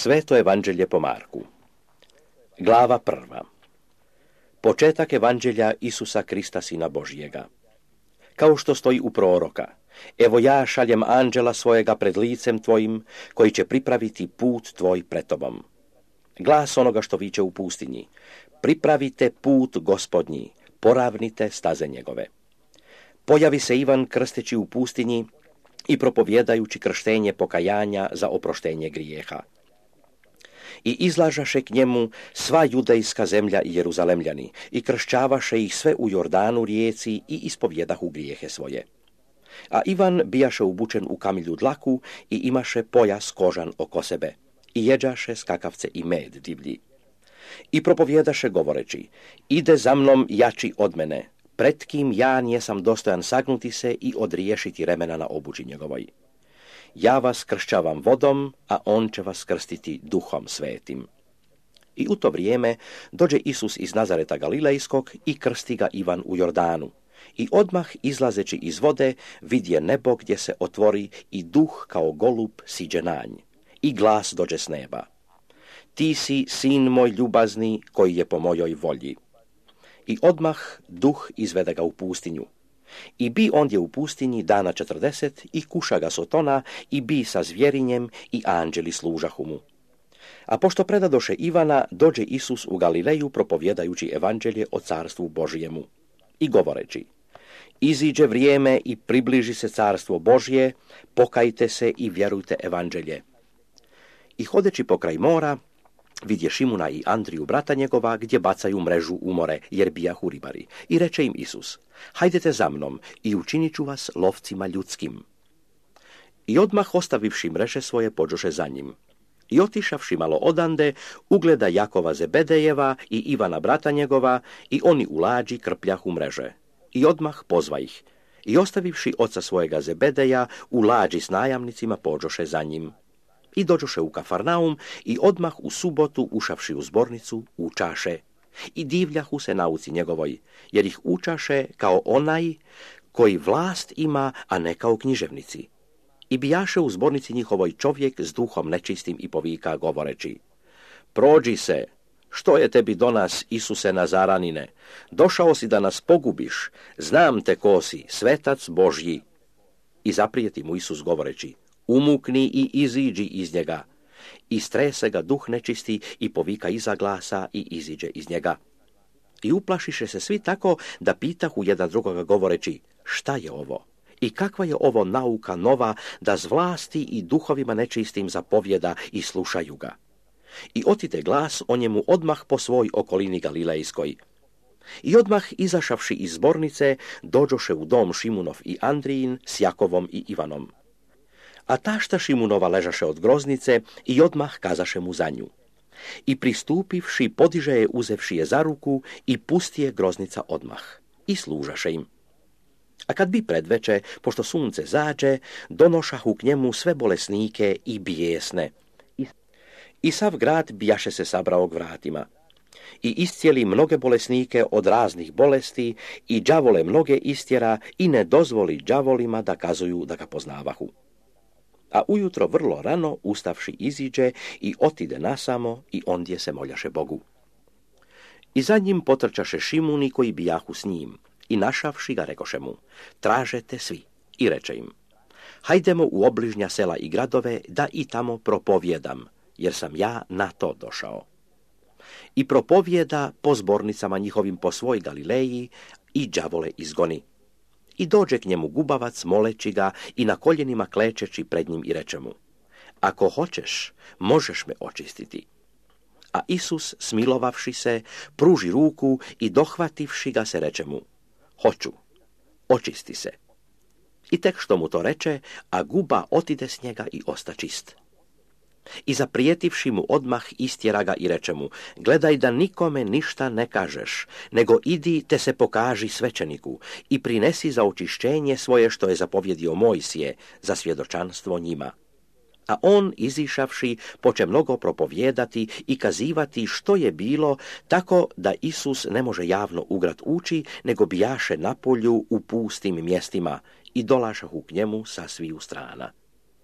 Sveto evanđelje po Marku. Glava 1. Početak evanđelja Isusa Krista, Sina Božjega. Kao što stoji u proroka, evo ja šaljem anđela svojega pred licem tvojim, koji će pripraviti put tvoj pred tobom. Glas onoga što viče u pustinji, pripravite put Gospodnji, poravnite staze njegove. Pojavi se Ivan krsteći u pustinji i propovjedajući krštenje pokajanja za oproštenje grijeha. I izlažaše k njemu sva judejska zemlja i Jeruzalemljani, i kršćavaše ih sve u Jordanu rijeci i ispovjedahu grijehe svoje. A Ivan bijaše obučen u kamilju dlaku i imaše pojas kožan oko sebe, i jeđaše skakavce i med divlji. I propovjedaše govoreći, ide za mnom jači od mene, pred kim ja nijesam dostojan sagnuti se i odriješiti remena na obući njegovoj. Ja vas kršćavam vodom, a on će vas krstiti duhom svetim. I u to vrijeme dođe Isus iz Nazareta Galilejskog i krsti ga Ivan u Jordanu. I odmah izlazeći iz vode vidje nebo gdje se otvori i duh kao golub siđe na nj. I glas dođe s neba. Ti si sin moj ljubazni koji je po mojoj volji. I odmah duh izvede ga u pustinju. I bi ondje u pustinji dana 40 i kuša ga sotona i bi sa zvjerinjem i anđeli služahu mu. A pošto predadoše Ivana, dođe Isus u Galileju propovjedajući evanđelje o carstvu Božjemu. I govoreći, iziđe vrijeme i približi se carstvo Božje, pokajte se i vjerujte evanđelje. I hodeći pokraj mora, vidje Šimuna i Andriju brata njegova, gdje bacaju mrežu u more, jer bijahu ribari. I reče im Isus, hajdete za mnom i učinit ću vas lovcima ljudskim. I odmah ostavivši mreže svoje, pođoše za njim. I otišavši malo odande, ugleda Jakova Zebedejeva i Ivana brata njegova, i oni u lađi krpljahu mreže. I odmah pozva ih. I ostavivši oca svojega Zebedeja, u lađi s najamnicima, pođoše za njim. I dođoše u Kafarnaum i odmah u subotu, ušavši u zbornicu, učaše. I divljahu se nauci njegovoj, jer ih učaše kao onaj koji vlast ima, a ne kao književnici. I bijaše u zbornici njihovoj čovjek s duhom nečistim i povika govoreći, prođi se, što je tebi do nas, Isuse Nazaranine? Došao si da nas pogubiš, znam te ko si, svetac Božji. I zaprijeti mu Isus govoreći, umukni i iziđi iz njega. I strese ga duh nečisti i povika iza glasa i iziđe iz njega. I uplašiše se svi tako da pitahu jedan drugoga govoreći, šta je ovo? I kakva je ovo nauka nova da z vlasti i duhovima nečistim zapovjeda i slušaju ga? I otide glas o njemu odmah po svoj okolini Galilejskoj. I odmah izašavši iz zbornice, dođoše u dom Šimunov i Andrijin s Jakovom i Ivanom. A tašta Šimunova ležaše od groznice i odmah kazaše mu za nju. I pristupivši, podiže je uzevši je za ruku i pusti je groznica odmah. I služaše im. A kad bi predveče, pošto sunce zađe, donošahu k njemu sve bolesnike i bijesne. I sav grad bijaše se sabrao k vratima. I iscijeli mnoge bolesnike od raznih bolesti i đavole mnoge istjera i ne dozvoli đavolima da kazuju da ga poznavahu. A ujutro vrlo rano, ustavši, iziđe i otide nasamo i ondje se moljaše Bogu. I za njim potrčaše Šimuni koji bijahu s njim i našavši ga rekoše mu, tražete svi. I reče im, hajdemo u obližnja sela i gradove da i tamo propovjedam, jer sam ja na to došao. I propovjeda po zbornicama njihovim po svoj Galileji i đavole izgoni. I dođe k njemu gubavac moleći ga i na koljenima klečeći pred njim i reče mu, ako hoćeš, možeš me očistiti. A Isus, smilovavši se, pruži ruku i dohvativši ga se reče mu, hoću, očisti se. I tek što mu to reče, a guba otide s njega i osta čist. I zaprijetivši mu odmah istjera ga i reče mu, gledaj da nikome ništa ne kažeš, nego idi te se pokaži svećeniku i prinesi za očišćenje svoje što je zapovjedio Mojsije za svjedočanstvo njima. A on, izišavši, poče mnogo propovjedati i kazivati što je bilo, tako da Isus ne može javno ugrat ući, nego bijaše na polju u pustim mjestima i dolašahu k njemu sa sviju strana.